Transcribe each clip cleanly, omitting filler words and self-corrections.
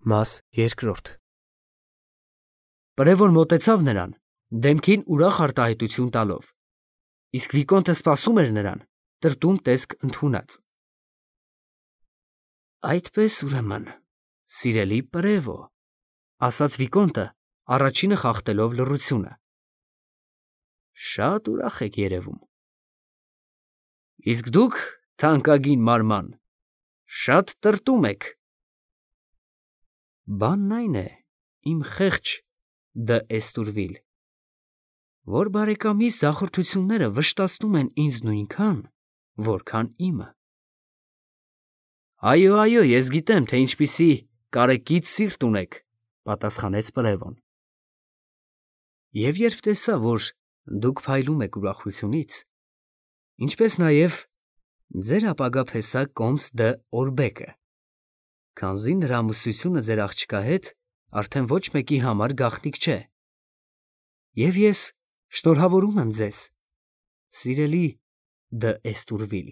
Մաս երկրորդ Պրևոն մոտեցավ նրան, դեմքին ուրախ արտահայտություն տալով, իսկ Վիկոնտը սպասում էր նրան, տրտում տեսք ընդունած։ Այդպես ուրեմն, սիրելի Պրևո, ասաց Վիկոնտը, առաջինը խախտելով լռությունը։ Շատ ուրախ եք երևում։ Իսկ դուք, թանկագին մարման, շատ տրտում եք։ Բանն այն է, իմ խեղճ Էստուրվիլ, որ բարեկամիս ձախորդությունները վշտացնում են ինձ նույնքան, որքան իմը։ Այո, ես գիտեմ, թե ինչպիսի կարեկից սիրտ ունեք, պատասխանեց Պրևոն։ Եվ երբ տեսա, որ դուք փայլում եք ուրախությունից, ինչպես նաև ձեր ապագա փեսա Կոմս Օրբեկը, քանզի նրա ամուսնությունը ձեր աղջկա հետ արդեն ոչ մեկի համար գաղտնիք չէ, և ես շնորհավորում եմ ձեզ, սիրելի Էստուրվիլ։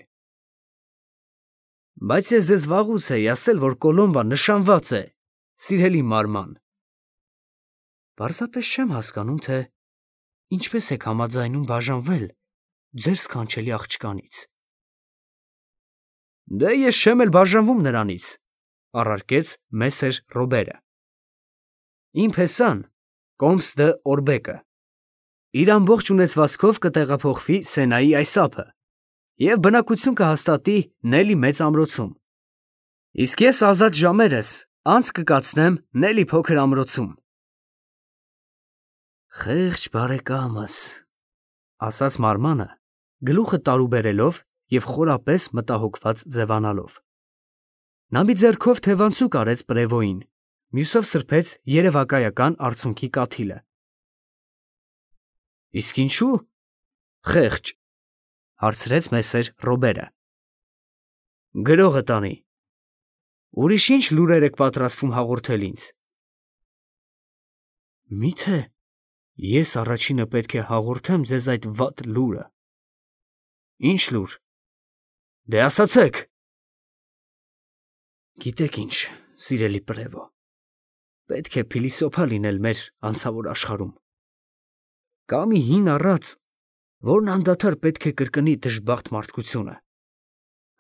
Բայց ես ձեզ վաղուց էի ասել, որ Կոլոմբան նշանված է, սիրելի մարման։ Պարզապես չեմ հասկանում, թե ինչպես եք համաձայնում բաժանվել ձեր սքանչելի աղջկանից։ Դե ես չեմ էլ բաժանվում նրանից, առարկեց Մեսեր Ռոբերը։ Իմ փեսան Կոմս Օրբեկը իր ամբողջ ունեցվածքով կտեղափոխվի Սենայի այս ափը և բնակություն կհաստատի Նելի մեծ ամրոցում, իսկ ես ազատ ժամերս անց կկացնեմ Նելի փոքր ամրոցում։ Խեղճ բարեկամս, ասաց մարմանը, գլուխը տարուբերելով և խորապես մտահոգված ձևանալով։ Նա մի ձեռքով թևանցուկ արեց Պրևոյին, մյուսով սրբեց երևակայական արցունքի կաթիլը։ Իսկ ինչու խեղճ, հարցրեց Մեսեր Ռոբերը։ Գրողը տանի։ Ուրիշ ինչ լուրեր եք պատրաստվում հաղորդել ինձ։ Միթե ես առաջինը պետք է հաղորդեմ ձեզ այդ վատ լուրը։ Ինչ լուր։ Դե ասացեք։ Գիտեք ինչ, սիրելի Պրևո, պետք է փիլիսոփա լինել մեր անցավոր աշխարհում։ Կա մի հին առած, որն անդադար պետք է կրկնի դժբախտ մարդկությունը,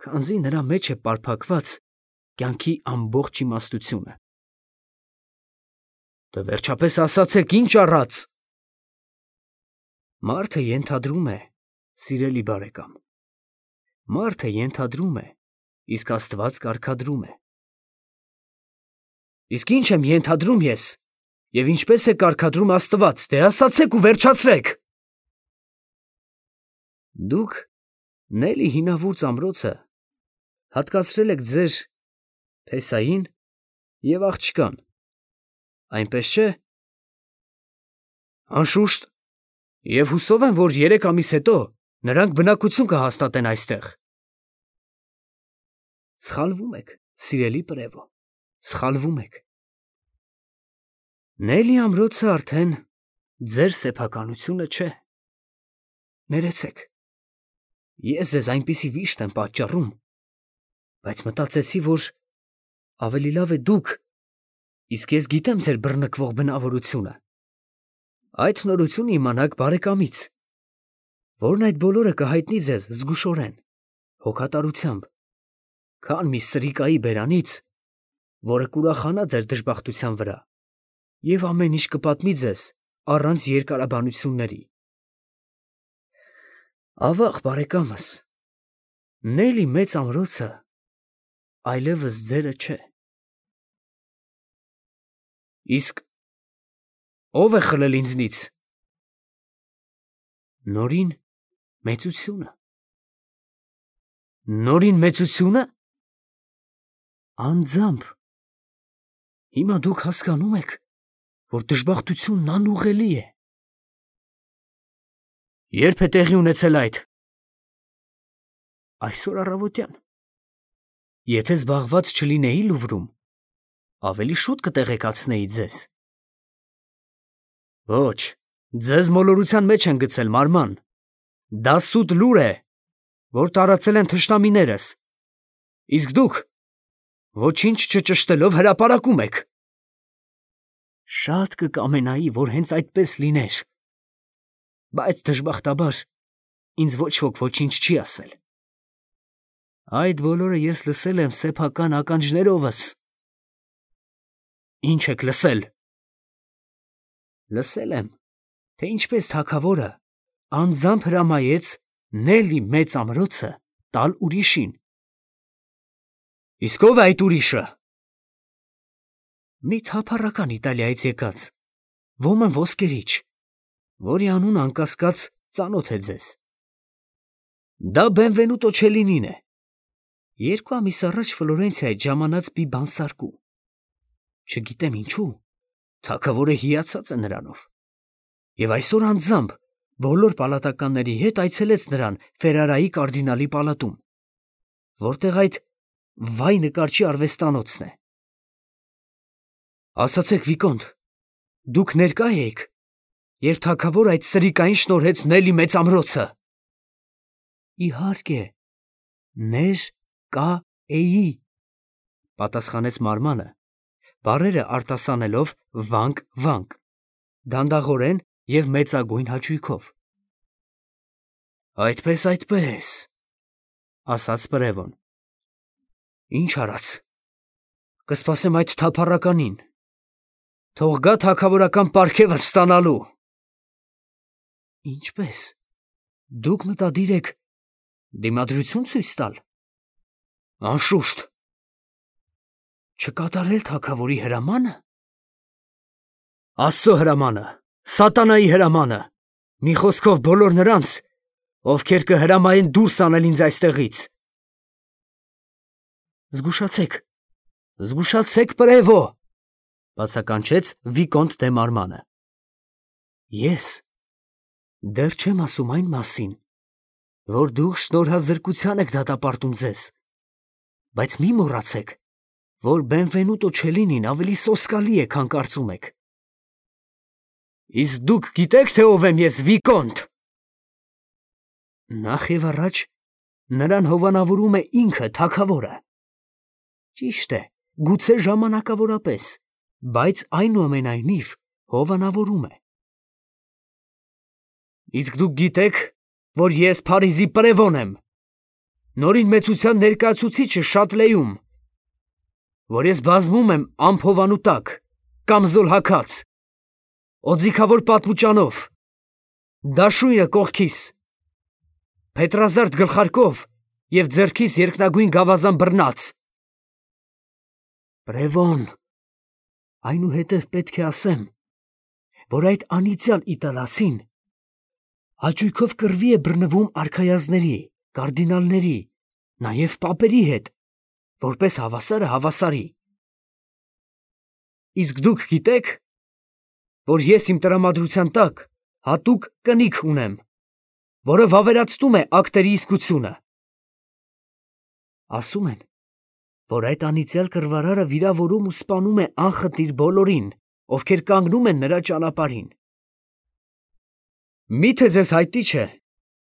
քանզի նրա մեջ է պարփակված կյանքի ամբողջ իմաստությունը։ Դե վերջապես ասացեք, ինչ առած։ Մարդը ենթադրում է, սիրելի բարեկամ, մարդը ենթադրում է, իսկ Աստված կարգադրում է։ Իսկ ինչ եմ ենթադրում ես, և ինչպես է կարգադրում Աստված, դե ասացեք ու վերջացրեք։ Դուք Նելի հինավուրց ամրոցը հատկացրել եք ձեր փեսային և աղջկան, այնպես չէ։ Անշուշտ, և հուսով եմ, որ 3 ամիս հետո նրանք բնակություն կհաստատեն այստեղ։ Սխալվում եք, սիրելի Պրևո, սխալվում եք։ Նելի ամրոցը արդեն ձեր սեփականությունը չէ։ Ներեցեք, ես ձեզ այնպիսի վիշտ եմ պատճառում, բայց մտածեցի, որ ավելի լավ է դուք, իսկ ես գիտեմ ձեր բռնկվող բնավորությունը, այդ նորությունը իմանաք բարեկամից, որն այդ բոլորը կհայտնի ձեզ զգուշորեն, հոգատարությամբ, քան մի սրիկայի բերանից, որը կուրախանա ձեր դժբախտության վրա և ամեն ինչ կպատմի ձեզ առանց երկարաբանությունների։ Ավաղ, բարեկամս, Նելի մեծ ամրոցը այլևս ձերը չէ։ Իսկ ո՞վ է խլել ինձնից։ Նորին մեծությունը։ Նորին մեծությո՞ւնը։ Անձամբ։ Հիմա դուք հասկանում եք, որ դժբախտությունն անուղղելի է։ Ե՞րբ է տեղի ունեցել այդ։ Այսօր առավոտյան։ Եթե զբաղված չլինեի Լուվրում, ավելի շուտ կտեղեկացնեի ձեզ։ Ոչ, ձեզ մոլորության մեջ են գցել, մարման։ Դա սուտ լուր է, որ տարածել են թշնամիներս, իսկ դուք ոչինչ չճշտելով հրապարակում եք։ Շատ կկամենայի, որ հենց այդպես լիներ, բայց դժբախտաբար ինձ ոչ ոք ոչինչ չի ասել։ Այդ բոլորը ես լսել եմ սեփական ականջներովս։ Ինչ եք լսել։ Լսել եմ, թե ինչպես թագավորը անձամբ հրամայեց Նելի մեծ ամրոցը տալ ուրիշին։ Իսկ ով է այդ ուրիշը։ Մի թափառական Իտալիայից եկած, ոմն ոսկերիչ, որի անունը անկասկած ծանոթ է ձեզ։ Դա Բենվենուտո Չելինին է։ 2 ամիս առաջ Ֆլորենցիայից ժամանած մի բանսարկու։ Չգիտեմ ինչու, թագավորը հիացած է նրանով։ Եվ այսօր անձամբ բոլոր պալատականների հետ այցելեց նրան Ֆերարայի կարդինալի պալատում, որտեղ այդ վայ նկարչի արվեստանոցն է։ Ասացեք, Վիկոնտ, դուք ներկա եք, երբ թագավորը այդ սրիկային շնորհեց Նելի մեծ ամրոցը։ Իհարկե, ներ-կա-էի, պատասխանեց Մարմանը, բառերը արտասանելով վանք, դանդաղորեն և մեծագույն հաճույքով։ Այդպես, ասաց Պրևոն։ Ինչ արած, կսպասեմ այդ թափառականին, թող գա թագավորական պարգևը ստանալու։ Ինչպես, դուք մտադիր եք դիմադրություն ցույց տալ։ Անշուշտ։ Չկատարել թագավորի հրամանը։ Աստծո հրամանը, սատանայի հրամանը, մի խոսքով բոլոր նրանց, ովքեր կհրամայեն դուրս անել ինձ այստեղից։ Զգուշացեք, Պրևո, բացականչեց Վիկոնտ դե Մարմանը։ Ես դեռ չեմ ասում այն մասին, որ դուք շնորհազրկության եք դատապարտում ձեզ, բայց մի մոռացեք, որ Բենվենուտո Չելինին ավելի սոսկալի է, քան կարծում եք։ Իսկ դուք գիտեք, թե ով եմ ես, Վիկոնտ։ Նախ և առաջ նրան հովանավորում է ինքը թագավորը։ Ճիշտ է, գուցե ժամանակավորապես, բայց այնուամենայնիվ հովանավորում է։ Իսկ դուք գիտեք, որ ես Փարիզի Պրևոն եմ, նորին մեծության ներկայացուցիչը Շատլեում, որ ես բազմում եմ ամփովանու տակ, կամզոլ հագած, օձիքավոր պատմուճանով, դաշույնը կողքիս, փետրազարդ գլխարկով և ձեռքիս երկնագույն գավազան բռնած։ Պրևոն, այնուհետև պետք է ասեմ, որ այդ անիծյալ իտալացին հաճույքով կռվի է բռնվում արքայազների, կարդինալների, նաև պապերի հետ, որպես հավասարը հավասարի։ Իսկ դուք գիտեք, որ ես իմ տրամադրության տակ հատուկ կնիկ ունեմ, որը վավերացնում է ակտերի իսկությունը։ Ասում են, որ այդ անիծյալ կռվարարը վիրավորում ու սպանում է անխտիր բոլորին, ովքեր կանգնում են նրա ճանապարհին։ Մի՞թե ձեզ հայտնի չէ,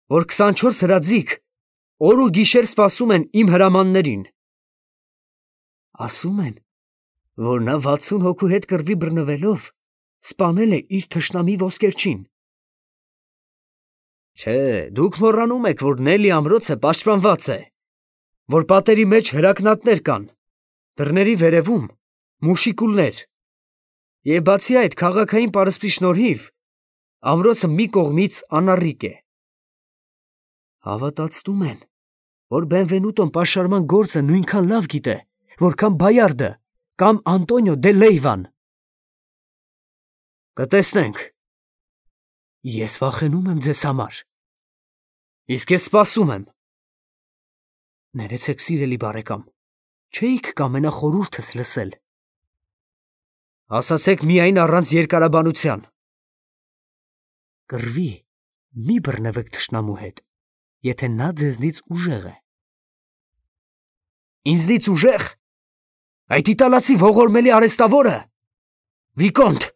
որ 24 հրաձիգ օր ու գիշեր սպասում են իմ հրամաններին։ Ասում են, որ նա 60 հոգու հետ կռվի բռնվելով սպանել է իր թշնամի ոսկերչին։ Չէ, դուք մոռանում եք, որ Նելի ամրոցը պաշտպանված է, որ պատերի մեջ հրակնատներ կան, դռների վերևում մուշիկուլներ, և բացի այդ քաղաքային պարսպի շնորհիվ ամրոցը մի կողմից անառիկ է։ Հավատացնում են, որ Բենվենուտոն պաշարման գործը նույնքան լավ գիտե, որքան Բայարդը կամ Անտոնիո դե Լեյվան։ Կտեսնենք։ Ես վախենում եմ ձեզ համար։ Իսկ ես սպասում եմ։ Ներեցեք, սիրելի բարեկամ, չէիք կամենա խորհուրդս լսել։ Ասացեք միայն առանց երկարաբանության։ Կռվի մի բռնվեք թշնամու հետ, եթե նա ձեզնից ուժեղ է։ Ինձնից ուժեղ։ Այդ իտալացի ողորմելի արհեստավորը։ Վիկոնտ,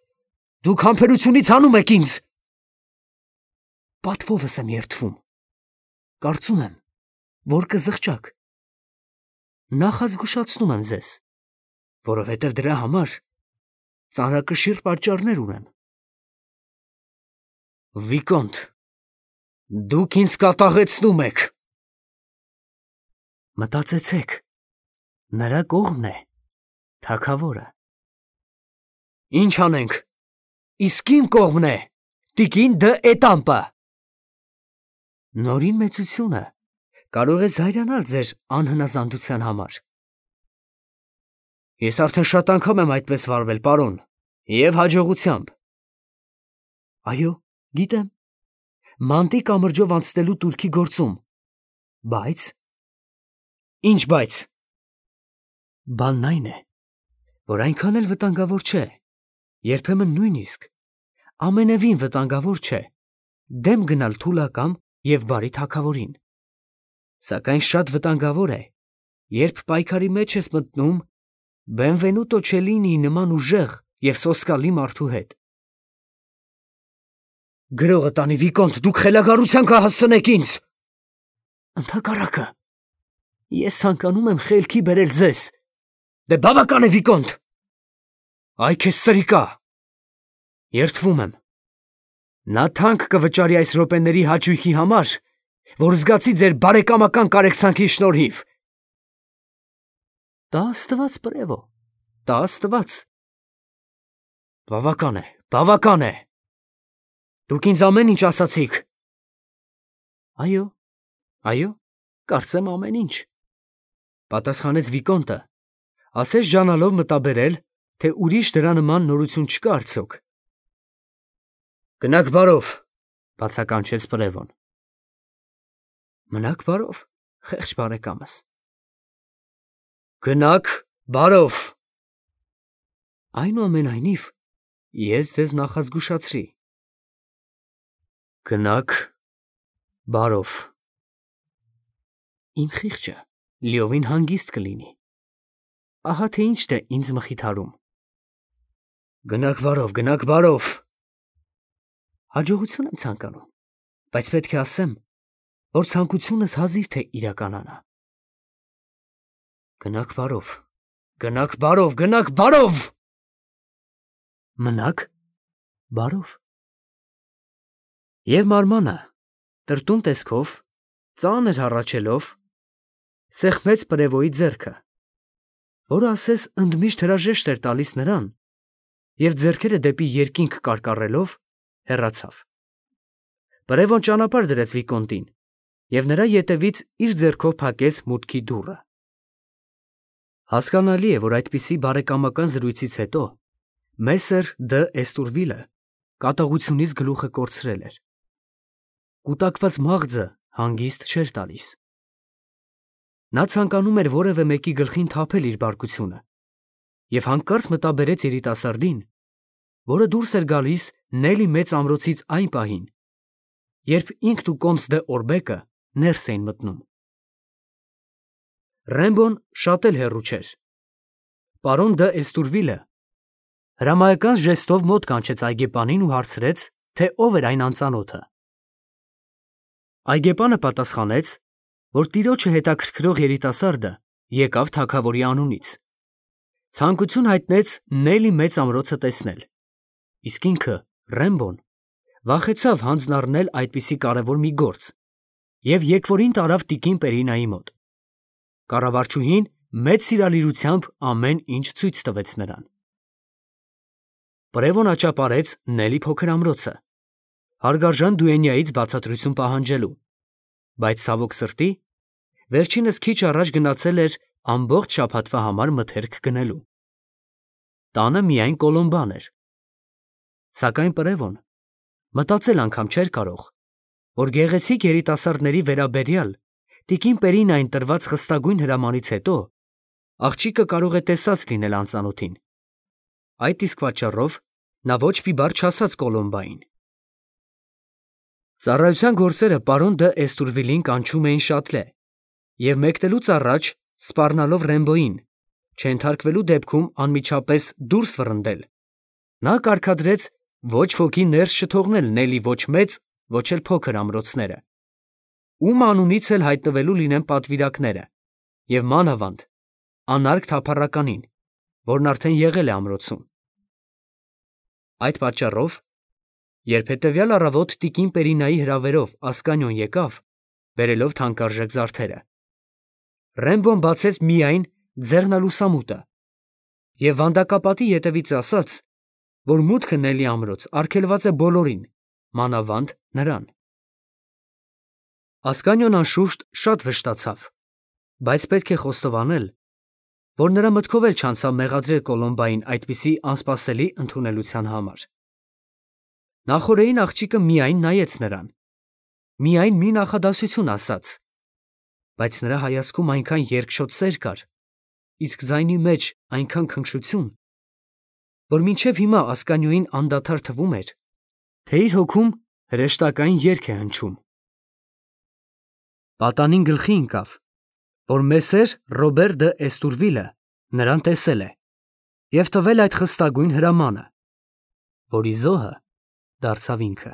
դուք համբերությունից հանում եք ինձ։ Պատվովս եմ երդվում։ Կարծում եմ, որ կզղջաք։ Նախազգուշացնում եմ ձեզ, որովհետև դրա համար ծանրակշիռ պատճառներ ունեմ։ Վիկոնտ, դուք ինձ կատաղեցնում եք։ Մտածեցեք, նրա կողմն է թագավորը։ Ինչ անենք, իսկ իմ կողմն է տիկին դը Էտամպը։ Նորին մեծությունը կարող է զայրանալ ձեր անհնազանդության համար։ Ես արդեն շատ անգամ եմ այդպես վարվել, պարոն, և հաջողությամբ։ Այո, գիտեմ, մանտի կամրջով անցնելու турքի գործում, բայց… Ինչ բայց։ Բանն այն է, որ այնքան էլ վտանգավոր չէ, երբեմն նույնիսկ ամենևին վտանգավոր չէ դեմ գնալ թուլակամ և բարի թագավորին, սակայն շատ վտանգավոր է, երբ պայքարի մեջ ես մտնում Բենվենուտո Չելլինիի նման ուժեղ և սոսկալի մարդու հետ։ Գրողը տանի, Վիկոնտ, դուք խելագարության կհասցնեք ինձ։ Ընդհակառակը, ես ցանկանում եմ խելքի բերել ձեզ։ Դե բավական է, Վիկոնտ։ Այ քեզ սրիկա։ Երդվում եմ։ Նա թանկ կվճարի այս րոպեների հաճույքի համար, որ զգացի ձեր բարեկամական կարեկցանքի շնորհիվ։ Տա Աստված, Պրևո, տա Աստված։ Բավական է, բավական է։ Դուք ինձ ամեն ինչ ասացիք։ Այո, այո, կարծեմ ամեն ինչ, պատասխանեց Վիկոնտը, ասես ջանալով մտաբերել, թե ուրիշ դրա նման նորություն չկա արդյոք։ Գնաք բարով, բացականչեց Պրևոն։ Մնաք բարով, խեղճ բարեկամս։ Գնաք բարով։ Այնուամենայնիվ, ես ձեզ նախազգուշացրի։ Գնաք բարով։ Իմ խիղճը լիովին հանգիստ կլինի։ Ահա թե ինչ է ինձ մխիթարում։ Գնաք բարով, գնաք բարով։ Հաջողություն եմ ցանկանում, բայց պետք է ասեմ, որ ցանկությունս հազիվ թե իրականանա։ Գնաք բարով, գնաք բարով, գնաք բարով։ Մնաք բարով։ Եվ մարմանը, տրտուն տեսքով, ծանր հառաչելով, սեղմեց Պրևոյի ձեռքը, որը ասես ընդմիշտ հրաժեշտ էր տալիս նրան, և ձեռքերը դեպի երկինք կարկառելով, հեռացավ։ Պրևոն ճանապարհ դրեց Վիկոնտին և նրա ետևից իր ձեռքով փակեց մուտքի դուռը։ Հասկանալի է, որ այդպիսի բարեկամական զրույցից հետո Մեսեր դը Էստուրվիլը կատաղությունից գլուխը կորցրել էր։ Կուտակված մաղձը հանգիստ չէր տալիս։ Նա ցանկանում էր որևէ մեկի գլխին թափել իր բարկությունը և հանկարծ մտաբերեց երիտասարդին, որը դուրս էր գալիս Նելի մեծ ամրոցից այն պահին, երբ ինքն ու կոմս դը Օրբեկը ներս էին մտնում։ Ռեմբոն շատ էլ հեռու չէր։ Պարոն դը Էստուրվիլը հրամայական ժեստով մոտ կանչեց այգեպանին ու հարցրեց, թե ով էր այն անծանոթը։ Այգեպանը պատասխանեց, որ տիրոջը հետաքրքրող երիտասարդը եկավ թագավորի անունից։ Ցանկություն հայտնեց Նելի մեծ ամրոցը տեսնել, իսկ ինքը, Ռեմբոն, վախեցավ հանձն առնել այդպիսի կարևոր մի գործ և եկվորին տարավ տիկին Պերինայի մոտ։ Կառավարչուհին մեծ սիրալիրությամբ ամեն ինչ ցույց տվեց նրան։ Պրևոն աճապարեց Նելի փոքր ամրոցը, հարգարժան դուենյայից բացատրություն պահանջելու, բայց ցավոք սրտի, վերջինս քիչ առաջ գնացել էր ամբողջ շաբաթվա համար մթերք գնելու։ Տանը միայն Կոլոմբան էր։ Սակայն Պրևոն մտածել անգամ չէր կարող, որ գեղեցիկ երիտասարդների վերաբերյալ տիկին Պերինային տրված խստագույն հրամանից հետո աղջիկը կարող է տեսած լինել անծանոթին։ Այդ իսկ պատճառով նա ոչ մի բառ չասաց Կոլոմբային։ Ծառայության գործերը պարոն դը Էստուրվիլին կանչում էին շատլե, և մեկնելուց առաջ սպառնալով Ռեմբոյին, չենթարկվելու դեպքում անմիջապես դուրս վռնդել, նա կարգադրեց ոչ ոքի ներս չթողնել Նելի ոչ մեծ, ոչ էլ փոքր ամրոցները, ում անունից էլ հայտնվելու լինեն պատվիրակները, և մանավանդ անարգ թափառականին, որն արդեն եղել է ամրոցում։ Այդ պատճառով, երբ հետևյալ առավոտ տիկին Պերինայի հրավերով Ասկանիոն եկավ, բերելով թանկարժեք զարդերը, Ռեմբոն բացեց միայն ձեռնալուսամուտը և վանդակապատի ետևից ասաց, որ մուտքը Նելի ամրոց արգելված է բոլորին, մանավանդ նրան։ Ասկանիոն անշուշտ շատ վշտացավ, բայց պետք է խոստովանել, որ նրա մտքով էլ չանցավ մեղադրել Կոլոմբային այդպիսի անսպասելի ընդունելության համար։ Նախօրեին աղջիկը միայն նայեց նրան, միայն մի նախադասություն ասաց, բայց նրա հայացքում այնքան երկչոտ սեր կար, իսկ ձայնի մեջ այնքան քնքշություն, որ մինչև հիմա Ասկանիոյին անդադար թվում էր, թե իր հոգում հրեշտակային երգ է հնչում։ Պատանին գլխի ընկավ, որ մեսեր Ռոբեր դը Էստուրվիլը նրան տեսել է և տվել այդ խստագույն հրամանը, որի զոհը դարձավ ինքը։